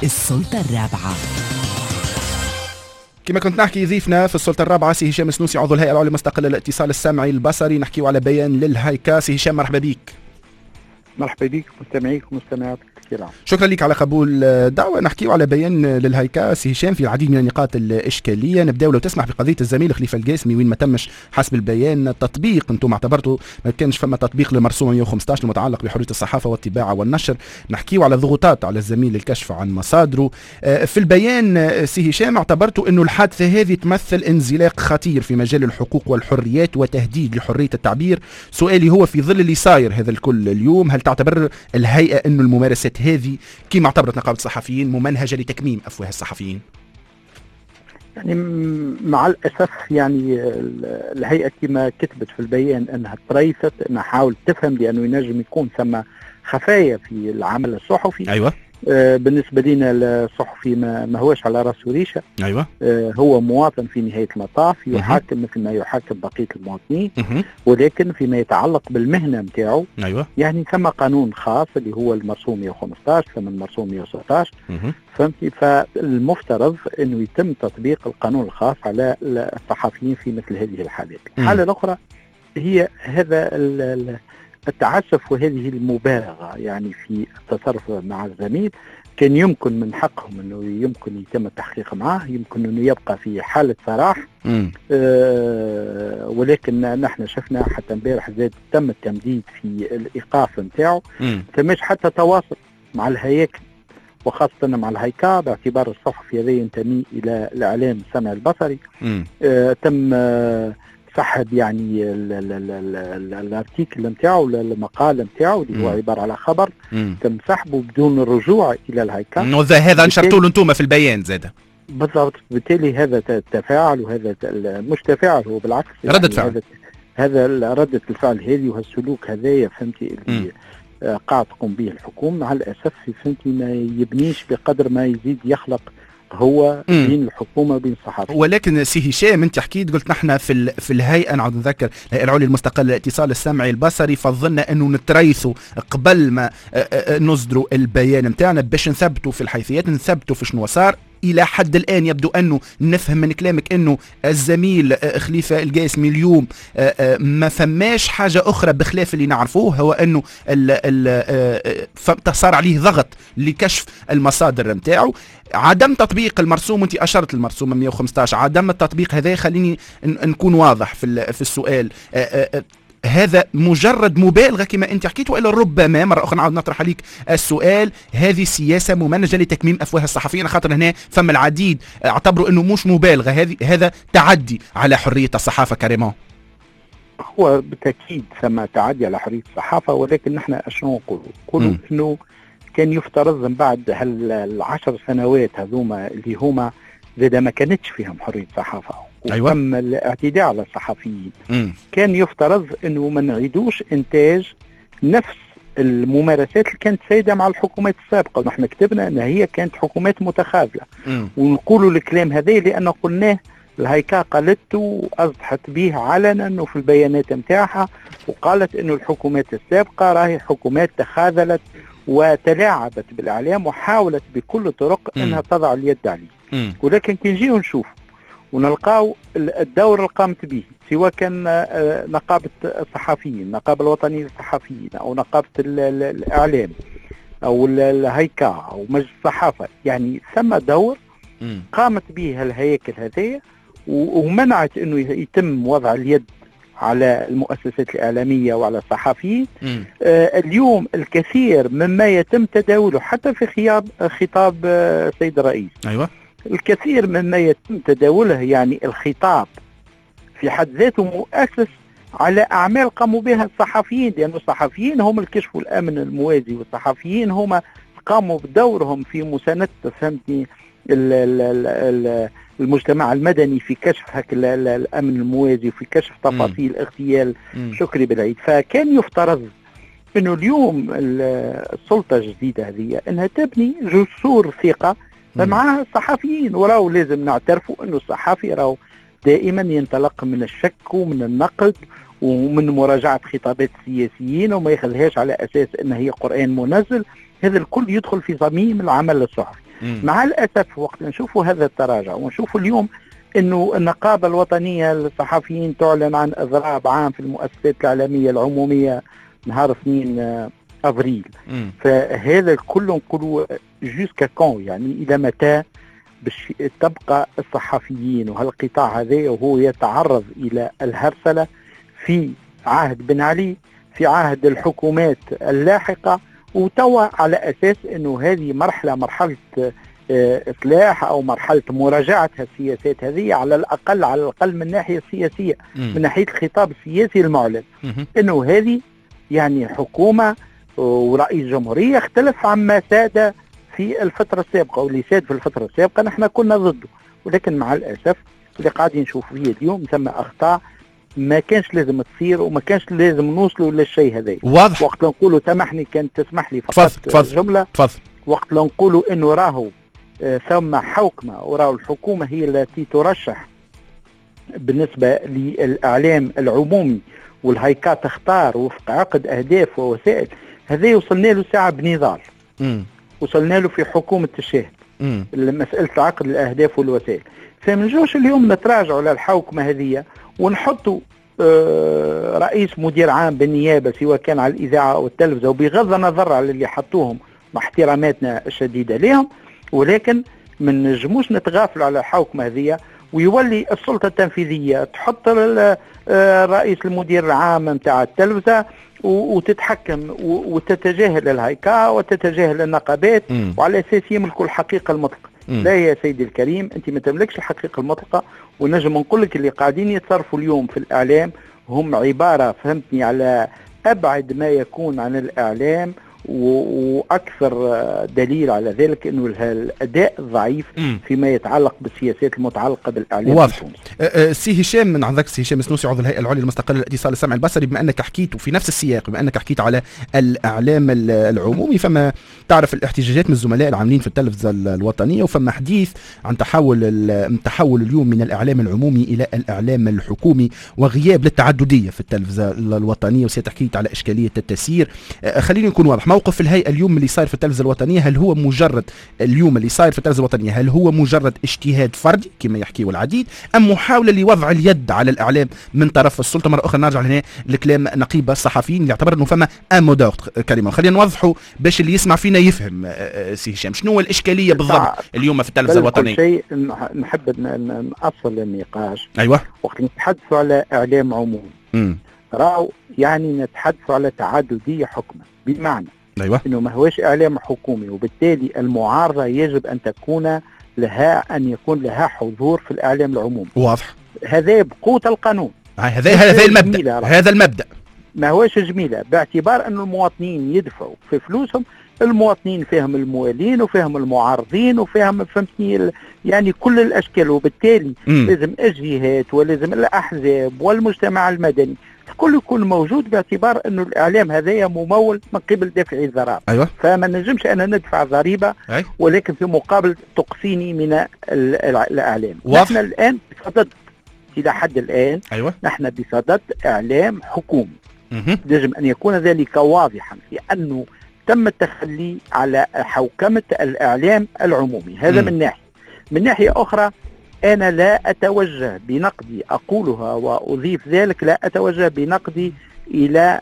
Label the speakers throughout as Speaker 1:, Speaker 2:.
Speaker 1: السلطة الرابعة.
Speaker 2: كما كنت نحكي، ضيفنا في السلطة الرابعة سي هشام السنوسي، عضو الهيئة العليا المستقلة للاتصال السمعي البصري. نحكيو على بيان للهايكا. سي هشام، مرحبا بك.
Speaker 3: مرحبا بك، مستمعيك ومستمعاتك الكرام.
Speaker 2: شكرا لك على قبول الدعوة. نحكيو على بيان للهايكا سي هشام في العديد من النقاط الإشكالية. نبداو لو تسمح بقضية الزميل خليفة القاسمي، وين ما تمش حسب البيان تطبيق، انتم اعتبرتوا ما كانش فما تطبيق للمرسوم 115 المتعلق بحرية الصحافة والطباعة والنشر. نحكيو على ضغوطات على الزميل للكشف عن مصادره. في البيان سي هشام اعتبرتوا انه الحادثة هذه تمثل انزلاق خطير في مجال الحقوق والحريات وتهديد لحرية التعبير. سؤالي هو، في ظل اللي صاير هذا الكل اليوم، هل تعتبر الهيئة انه الممارسات هذه كما اعتبرت نقابة الصحفيين ممنهجة لتكميم أفواه الصحفيين؟
Speaker 3: يعني مع الأسف، يعني الهيئة كما كتبت في البيان أنها تريثت، أنها حاولت تفهم، لأنه ينجم يكون ثم خفايا في العمل الصحفي. بالنسبة لنا الصحفي ما هوش على راسه ريشة. هو مواطن في نهاية المطاف، يحاكم مثل ما يحاكم بقية المواطنين. ولكن فيما يتعلق بالمهنة نتاعو، يعني ثم قانون خاص اللي هو المرسوم 115، ثم المرسوم 116. فهمتي؟ فالمفترض انه يتم تطبيق القانون الخاص على الصحفيين في مثل هذه الحالات. الحالة الأخرى هي هذا التعسف وهذه المبالغة يعني في التصرف مع الزميل. كان يمكن من حقهم انه يمكن يتم التحقيق معه، يمكن انه يبقى في حالة سراح. ولكن نحن شفنا حتى امبارح زاد تم التمديد في الايقاف نتاعو. ثماش حتى تواصل مع الهياكل وخاصة مع الهيكا، باعتبار الصحفي هذا ينتمي إلى الإعلام السمعي البصري. تم سحب يعني ال article نتاعو، المقال نتاعو اللي هو عبارة على خبر. تم سحبه بدون الرجوع الى الهيكا.
Speaker 2: هذا نشرتوا له انتم في البيان زاد.
Speaker 3: بالضبط. بالتالي هذا تفاعل، وهذا مش تفاعل، هو بالعكس
Speaker 2: يعني ردة فعل.
Speaker 3: هذا ردة الفعل هذه وهالسلوك هذايا، فهمتي، اللي قاعد تقوم به الحكومة مع الأسف، فهمتي، ما يبنيش بقدر ما يزيد يخلق هو بين الحكومة وبين الصحافه.
Speaker 2: ولكن سي هشام، انت حكيت قلت نحن في الهيئه، نعود نذكر، الهيئة العليا المستقلة للاتصال السمعي البصري، فضلنا انه نتريثوا قبل ما نصدروا البيان نتاعنا باش نثبتوا في الحيثيات، نثبتوا في شنو صار. الى حد الان يبدو انه نفهم من كلامك انه الزميل خليفة القاسمي اليوم ما فماش حاجة اخرى بخلاف اللي نعرفوه، هو انه صار عليه ضغط لكشف المصادر نتاعو. عدم تطبيق المرسوم، وانت اشرت المرسوم 115، عدم التطبيق هذا، خليني نكون واضح في السؤال، هذا مجرد مبالغه كما انت حكيت، والا ربما مرة اخرى نعاود نطرح عليك السؤال، هذه سياسة ممنهجه لتكميم افواه الصحفيين؟ خاطر هنا فما العديد اعتبروا انه مش مبالغه، هذه هذا تعدي على حرية الصحافة carrément.
Speaker 3: هو بالتاكيد ثم تعدي على حرية الصحافه، ولكن نحن شنو نقولوا؟ نقولوا انه كان يفترض من بعد هال10 سنوات هذوما اللي هما زاد ما كانتش فيهم حرية صحافة وتم الاعتداء على الصحفيين، كان يفترض انه ما نعيدوش انتاج نفس الممارسات اللي كانت سائدة مع الحكومات السابقه. ونحن كتبنا ان هي كانت حكومات متخاذله، ونقولوا الكلام هذا لان قلناه، الهيكا قالته واصدحت به علنا وفي البيانات نتاعها، وقالت انه الحكومات السابقة راهي حكومات تخاذلت وتلاعبت بالاعلام وحاولت بكل الطرق انها تضع اليد عليه. ولكن كي نجيو نشوف ونلقاو الدور اللي قامت به، سواء كان نقابة الصحفيين، النقابة الوطنية للصحفيين، أو نقابة الإعلام، أو الهيكا، أو مجلس الصحافة، يعني ثم دور قامت به الهياكل هذه ومنعت أنه يتم وضع اليد على المؤسسات الإعلامية وعلى الصحفيين. اليوم الكثير مما يتم تداوله حتى في خطاب السيد الرئيس، الكثير مما يتم تداوله، يعني الخطاب في حد ذاته مؤسس على أعمال قاموا بها الصحفيين، لأن الصحفيين هم اللي كشفوا الأمن الموازي، والصحفيين هم قاموا بدورهم في مساندة، فهمتني، المجتمع المدني في كشف هك الأمن الموازي وفي كشف تفاصيل اغتيال شكري بالعيد. فكان يفترض انه اليوم السلطة الجديدة هذه انها تبني جسور ثقة مع الصحفيين. وراو لازم نعترفوا انه الصحفي راهو دائما ينطلق من الشك ومن النقد ومن مراجعة خطابات السياسيين، وما يخليهاش على أساس أنها هي قرآن منزل. هذا الكل يدخل في صميم العمل الصحفي. مع الأسف وقت نشوفوا هذا التراجع ونشوفوا اليوم أنه النقابة الوطنية للصحفيين تعلن عن إضراب عام في المؤسسات الإعلامية العمومية نهار 2 أفريل، فهذا الكل نقولوا jusqu'à quand، يعني إلى متى باش تبقى الصحفيين وهالقطاع هذا وهو يتعرض إلى الهرسلة في عهد بن علي، في عهد الحكومات اللاحقة، وتوا على أساس أنه هذه مرحلة إصلاح أو مرحلة مراجعة السياسات هذه، على الأقل من الناحية السياسية، من ناحية الخطاب السياسي المعلن، أنه هذه يعني حكومة ورئيس جمهورية اختلف عما ساد في الفترة السابقة، واللي ساد في الفترة السابقة نحن كنا ضده، ولكن مع الأسف اللي قاعدين نشوف فيه اليوم ثم أخطاء ما كانش لازم تصير وما كانش لازم نوصلوا للشيء هذا.
Speaker 2: واضح.
Speaker 3: وقت نقولوا، سامحني كان تسمح لي فقط جملة،
Speaker 2: تفضل.
Speaker 3: وقت نقولوا انه راهو ثم حوكمة وراهو الحكومة هي التي ترشح بالنسبة للإعلام العمومي والهيكات تختار وفق عقد أهداف ووسائل، هذا وصلنا له ساعة بنضال، وصلنا له في حكومة الشاهد مسألة عقد الأهداف والوسائل. فما نجوش اليوم نتراجعوا على الحوكمة هذه ونحطوا رئيس مدير عام بالنيابة سواء كان على الإذاعة أو التلفزة، وبغض النظر على اللي حطوهم مع احتراماتنا الشديدة لهم، ولكن ما نجموش نتغافلوا على الحوكمة هذه ويولي السلطة التنفيذية تحط رئيس المدير العام نتاع التلفزة وتتحكم وتتجاهل الهيكا وتتجاهل النقابات، وعلى أساس يملكوا الحقيقة المطلقة. لا يا سيدي الكريم، أنت ما تملكش الحقيقة المطلقة. ونجم نقول لك اللي قاعدين يتصرفوا اليوم في الإعلام هم عبارة، فهمتني، على أبعد ما يكون عن الإعلام، وأكثر دليل على ذلك أنه الأداء ضعيف فيما يتعلق بالسياسات المتعلقة بالإعلام.
Speaker 2: واضح. سي هشام، من عندك سي هشام السنوسي عضو الهيئة العليا المستقلة للاتصال السمعي البصري، بما أنك حكيت وفي نفس السياق، بما أنك حكيت على الإعلام العمومي، فما تعرف الاحتجاجات من الزملاء العاملين في التلفزة الوطنية، وفما حديث عن تحول اليوم من الإعلام العمومي إلى الإعلام الحكومي وغياب للتعددية في التلفزة الوطنية، وسيتحكيت على إشكالية التسيير. خليني نكون واضح، موقف الهيئة اليوم اللي صاير في التلفزة الوطنية، هل هو مجرد اليوم اللي صاير في التلفزة الوطنية هل هو مجرد اجتهاد فردي كما يحكيه العديد، أم محاولة لوضع اليد على الإعلام من طرف السلطة؟ مرة أخرى نرجع لهنا لكلام نقيب الصحفيين اللي اعتبر أنه فما un mot d'ordre كلمة. خلينا نوضحوا باش اللي يسمع فينا يفهم. سي هشام، شنو هو الإشكالية بالضبط اليوم في التلفزة الوطنية؟
Speaker 3: شيء نحب نأصل النقاش.
Speaker 2: أيوة.
Speaker 3: وقت نتحدث على إعلام عمومي راهو يعني نتحدث على تعددية حكمة، بمعنى
Speaker 2: أيوة.
Speaker 3: أنه ما هوش إعلام حكومي، وبالتالي المعارضة يجب أن تكون لها، أن يكون لها حضور في الإعلام العمومي.
Speaker 2: واضح.
Speaker 3: هذا بقوة القانون.
Speaker 2: هذا المبدأ. هذا المبدأ
Speaker 3: ما هوش جميلة، باعتبار أن المواطنين يدفعوا في فلوسهم، المواطنين فيهم الموالين وفيهم المعارضين وفيهم، فهمتني، يعني كل الأشكال، وبالتالي لازم الجهات ولازم الأحزاب والمجتمع المدني الكل يكون موجود، باعتبار أنه الإعلام هذايا ممول من قبل دافعي الضرائب.
Speaker 2: أيوة.
Speaker 3: فما نجمش أنا ندفع ضريبة ولكن في مقابل تقصيني من الإعلام. نحن الآن بصدد، إلى حد الآن
Speaker 2: أيوة.
Speaker 3: نحن بصدد إعلام حكومي. يجب أن يكون ذلك واضحا، لأنه تم التخلي على حوكمة الإعلام العمومي. هذا من ناحية. من ناحية أخرى، أنا لا أتوجه بنقدي، أقولها وأضيف ذلك، لا أتوجه بنقدي إلى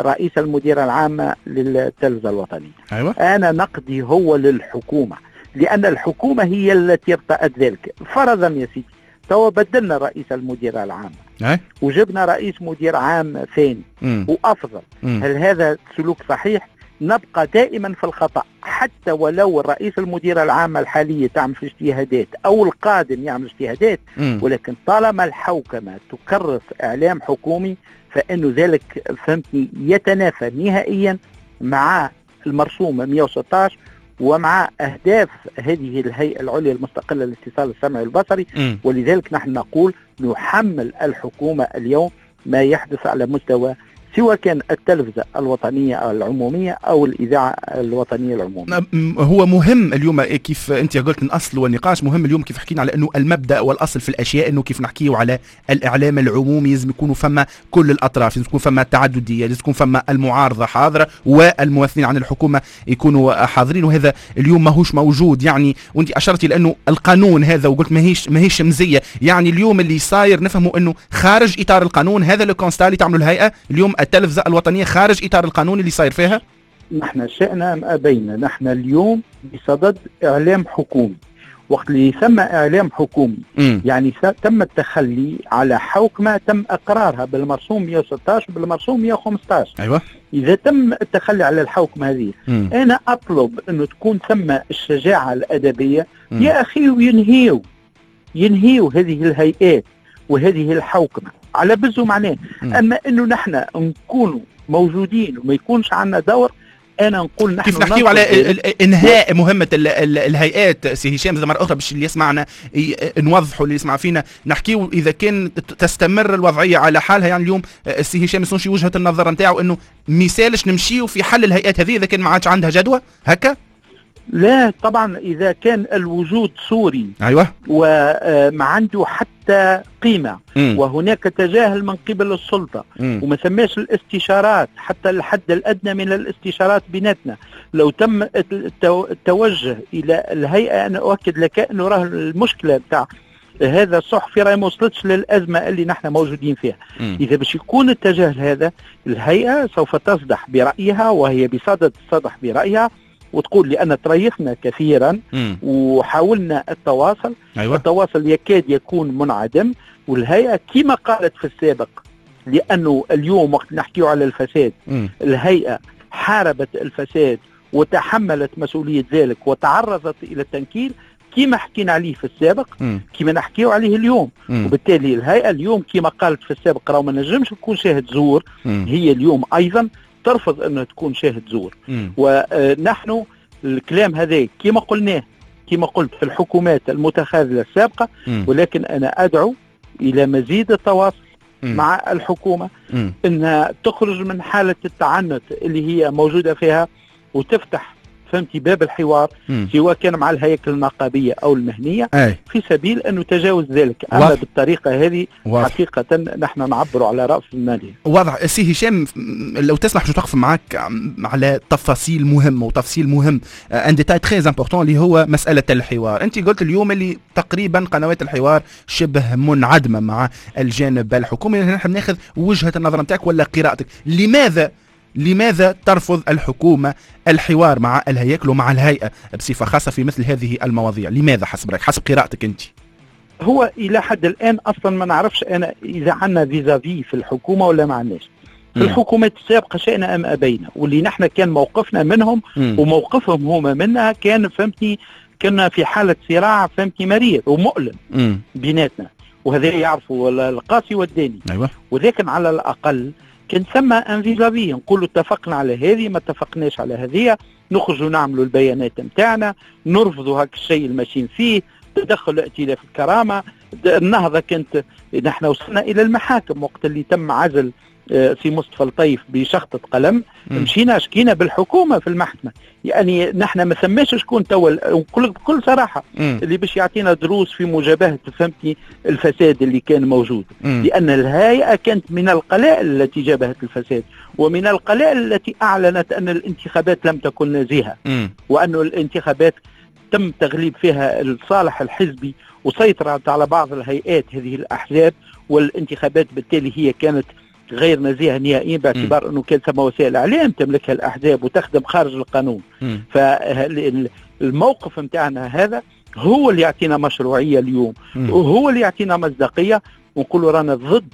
Speaker 3: رئيس المديرة العامة للتلفزة الوطنية.
Speaker 2: أيوة.
Speaker 3: أنا نقدي هو للحكومة، لأن الحكومة هي التي ارتأت ذلك. فرضا يا سيدي تو بدلنا رئيس المديرة العامة وجبنا رئيس مدير عام ثاني وأفضل، هل هذا سلوك صحيح؟ نبقى دائما في الخطأ، حتى ولو الرئيس المدير العام الحالي تعمل في اجتهادات أو القادم يعمل اجتهادات، ولكن طالما الحوكمة تكرس إعلام حكومي فإنه ذلك، فهمتني، يتنافى نهائيا مع المرسوم 116 ومع أهداف هذه الهيئة العليا المستقلة للاتصال السمعي البصري. ولذلك نحن نقول نحمل الحكومة اليوم ما يحدث على مستوى سواء كان التلفزة الوطنية العمومية أو الإذاعة الوطنية العمومية.
Speaker 2: هو مهم اليوم كيف أنت قلت الأصل والنقاش مهم اليوم كيف حكينا على أنه المبدأ والأصل في الأشياء، أنه كيف نحكيه على الإعلام العمومي لازم يكونوا فما كل الأطراف، لازم يكون فما تعددية، لازم يكون فما المعارضة حاضرة والممثلين عن الحكومة يكونوا حاضرين، وهذا اليوم ماهوش موجود. يعني وأنت أشرتي لأنه القانون هذا وقلت ماهيش مزية، يعني اليوم اللي صاير نفهمه أنه خارج إطار القانون، هذا le constat اللي تعملوا الهيئة اليوم التلفزة الوطنية خارج إطار القانون اللي صاير فيها.
Speaker 3: نحن شئنا أم أبينا، نحن اليوم بصدد إعلام حكومي. وقت اللي يسمى إعلام حكومي يعني تم التخلي على حوكمة تم إقرارها بالمرسوم 116 وبالمرسوم 115.
Speaker 2: أيوة.
Speaker 3: إذا تم التخلي على الحوكمة هذه أنا أطلب أنه تكون ثم الشجاعة الأدبية يا أخي، وينهيو هذه الهيئات وهذه الحوكمة على بزو معناه. أما أنه نحن نكون موجودين وما يكونش عندنا دور، أنا نقول نحن
Speaker 2: كيف نحكيو على إنهاء مهمة الهيئات سي هشام مرة أخرى باش اللي يسمعنا نوضحوا اللي يسمع فينا، نحكيو إذا كان تستمر الوضعية على حالها. يعني اليوم سي هشام السنشي وجهة النظر نتاعو أنه ميسالش نمشيو في حل الهيئات هذه إذا كان ما عادش عندها جدوى هكا؟
Speaker 3: لا طبعا، إذا كان الوجود صوري
Speaker 2: أيوة
Speaker 3: وما عنده حتى قيمة وهناك تجاهل من قبل السلطة وما سماش الاستشارات حتى الحد الأدنى من الاستشارات بيناتنا، لو تم التوجه إلى الهيئة أنا أؤكد لك أنه راه المشكلة بتاع هذا الصحفي راه ما وصلتش للأزمة اللي نحن موجودين فيها. إذا باش يكون التجاهل هذا، الهيئة سوف تصدح برأيها وهي بصدد تصدح برأيها وتقول لأن تريثنا كثيرا وحاولنا التواصل.
Speaker 2: أيوة.
Speaker 3: التواصل يكاد يكون منعدم، والهيئة كما قالت في السابق، لأنه اليوم وقت نحكيه على الفساد الهيئة حاربت الفساد وتحملت مسؤولية ذلك وتعرضت إلى التنكيل كما حكينا عليه في السابق كما نحكيه عليه اليوم. وبالتالي الهيئة اليوم كما قالت في السابق راهو ما نجمش تكون شاهد زور، هي اليوم أيضا ترفض أنها تكون شاهد زور. ونحن الكلام هذا كما قلناه كما قلت في الحكومات المتخاذلة السابقة، ولكن أنا أدعو إلى مزيد التواصل مع الحكومة أنها تخرج من حالة التعنت اللي هي موجودة فيها وتفتح فهمتي باب الحوار سواء كان مع الهياكل النقابية أو المهنية.
Speaker 2: أي.
Speaker 3: في سبيل أن نتجاوز ذلك. أما بالطريقة هذه حقيقة نحن نعبر على رأس المالية.
Speaker 2: واضح سي هشام، لو تسمح باش نتوقف معك على تفاصيل مهمة وتفصيل مهم un détail très important اللي هو مسألة الحوار. أنت قلت اليوم اللي تقريبا قنوات الحوار شبه منعدمة مع الجانب الحكومي، نحن ناخذ وجهة النظر نتاعك ولا قراءتك، لماذا ترفض الحكومة الحوار مع الهياكل ومع الهيئة بصفة خاصة في مثل هذه المواضيع؟ لماذا حسب رأيك، حسب قراءتك أنت؟
Speaker 3: هو إلى حد الآن أصلا ما نعرفش أنا إذا عندنا vis-à-vis في الحكومة ولا ما عندناش. في الحكومات السابقة شئنا أم أبينا، واللي نحن كان موقفنا منهم وموقفهم هما منها كان فهمتني كنا في حالة صراع فهمتني مرير ومؤلم بيناتنا، وهذا يعرفوا القاسي والداني.
Speaker 2: أيوة.
Speaker 3: ولكن على الأقل كان ثم un vis-à-vis، نقولوا اتفقنا على هذه ما اتفقناش على هذه، نخرجوا نعملوا البيانات نتاعنا، نرفضوا هاك الشيء الماشيين فيه، تدخل ائتلاف الكرامة، النهضة كانت نحن وصلنا الى المحاكم وقت اللي تم عزل سي مصطفى لطيف بشخطة قلم، مشينا شكينا بالحكومة في المحكمة. يعني نحن ما سماش شكون توا، نقول لك بكل صراحة اللي باش يعطينا دروس في مجابهة فهمتني الفساد اللي كان موجود، لأن الهيئة كانت من القلائل التي جابهت الفساد ومن القلائل التي أعلنت أن الانتخابات لم تكن نزيهة، وأن الانتخابات تم تغليب فيها الصالح الحزبي وسيطرت على بعض الهيئات هذه الأحزاب، والانتخابات بالتالي هي كانت غير نزيهة نهائيا باعتبار أنه كان ثم وسائل إعلام تملكها الأحزاب وتخدم خارج القانون. فالموقف متاعنا هذا هو اللي يعطينا مشروعية اليوم، وهو اللي يعطينا مصداقية، ونقول رانا ضد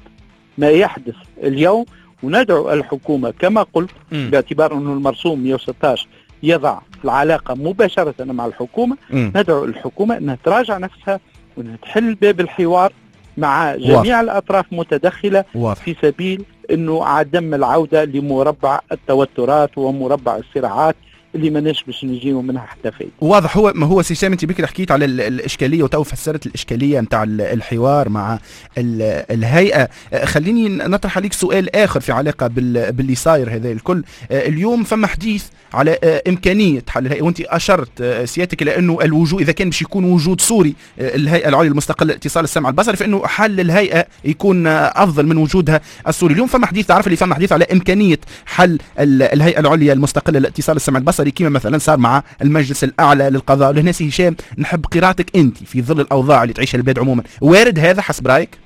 Speaker 3: ما يحدث اليوم، وندعو الحكومة كما قلت باعتبار أنه المرسوم 116 يضع العلاقة مباشرة مع الحكومة، ندعو الحكومة أنها تراجع نفسها وأنها تحل باب الحوار مع جميع الأطراف متدخلة. في سبيل أنه عدم العودة لمربع التوترات ومربع الصراعات اللي ماناش باش نجيو منها حتى فايدة.
Speaker 2: واضح. هو ما هو سي هشام، انت بكري حكيت على الاشكالية وتو فسرت الاشكالية نتاع الحوار مع الهيئة. خليني نطرح عليك سؤال اخر في علاقة باللي صاير هذا الكل. اليوم فما حديث على امكانية حل الهيئة، وانت اشرت سيادتك الى انه الوجود اذا كان باش يكون وجود صوري الهيئة العليا المستقلة لاتصال السمع البصري فانه حل الهيئة يكون افضل من وجودها الصوري. اليوم فما حديث، تعرف اللي فما حديث على امكانية حل الهيئة العليا المستقلة لاتصال السمع البصري كما مثلا صار مع المجلس الاعلى للقضاء. لهنا سي هشام نحب قراءتك انت في ظل الاوضاع اللي تعيشها البلاد عموما، وارد هذا حسب رايك؟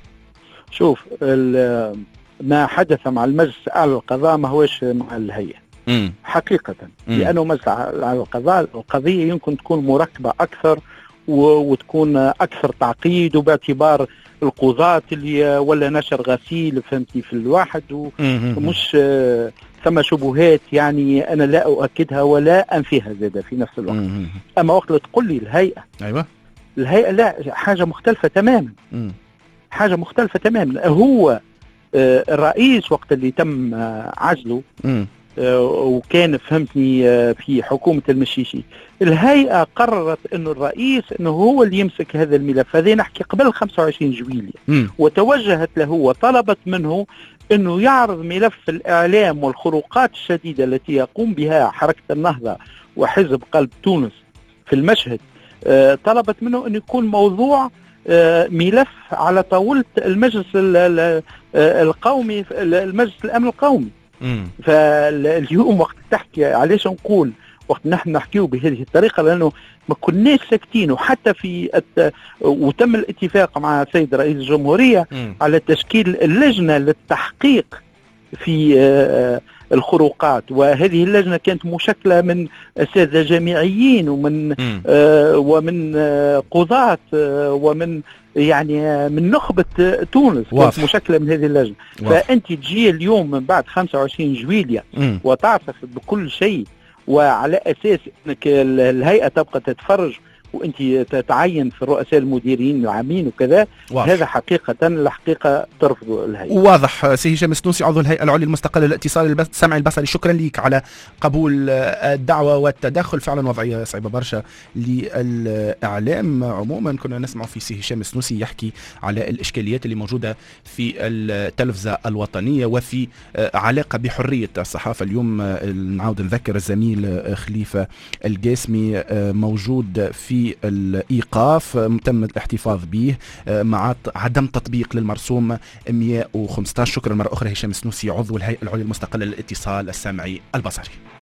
Speaker 3: شوف، ما حدث مع المجلس الاعلى للقضاء ما هوش مع الهيئة حقيقة، لأنه مجلس الأعلى للقضاء القضية يمكن تكون مركبة أكثر وتكون أكثر تعقيد، وباعتبار القضاة اللي ولا نشر غسيل فهمتي في الواحد، ومش ثم شبهات يعني أنا لا أؤكدها ولا أنفيها زادة في نفس الوقت. أما وقت تقول لي الهيئة،
Speaker 2: أيوة
Speaker 3: الهيئة لا، حاجة مختلفة تماما. حاجة مختلفة تماما. هو الرئيس وقت اللي تم عزله وكان فهمتني في حكومة المشيشي، الهيئة قررت أنه الرئيس أنه هو اللي يمسك هذا الملف. هذا نحكي قبل 25 جويلية. وتوجهت له وطلبت منه أنه يعرض ملف الإعلام والخروقات الشديدة التي يقوم بها حركة النهضة وحزب قلب تونس في المشهد. طلبت منه أن يكون موضوع ملف على طاولة المجلس القومي، المجلس الأمن القومي. فاليوم وقت تحكي، علاش نقول وقت نحن نحكيه بهذه الطريقة، لأنه ما كناش ساكتين. وحتى في وتم الاتفاق مع السيد رئيس الجمهورية على تشكيل اللجنة للتحقيق في الخروقات، وهذه اللجنة كانت مشكلة من أساتذة جامعيين ومن ومن قضاة ومن يعني من نخبة تونس، كانت مشكلة من هذه اللجنة. فأنت تجي اليوم من بعد 25 جويلية وتعصف بكل شيء، وعلى أساس أنك الهيئة تبقى تتفرج وانت تتعين في الرؤساء المديرين العامين وكذا.
Speaker 2: واضح.
Speaker 3: هذا حقيقة الحقيقة ترفض الهيئة.
Speaker 2: واضح. سي هشام السنوسي عضو الهيئة العليا المستقلة للاتصال السمعي البصري، شكرا لك على قبول الدعوة والتدخل. فعلا وضعية صعبة برشا للإعلام عموما. كنا نسمع في سي هشام السنوسي يحكي على الإشكاليات اللي موجودة في التلفزة الوطنية وفي علاقة بحرية الصحافة. اليوم نعاود نذكر الزميل خليفة القاسمي موجود في الإيقاف، تم الاحتفاظ به مع عدم تطبيق للمرسوم 115. شكرا مرة أخرى هشام السنوسي عضو الهيئة العليا المستقلة للاتصال السمعي البصري.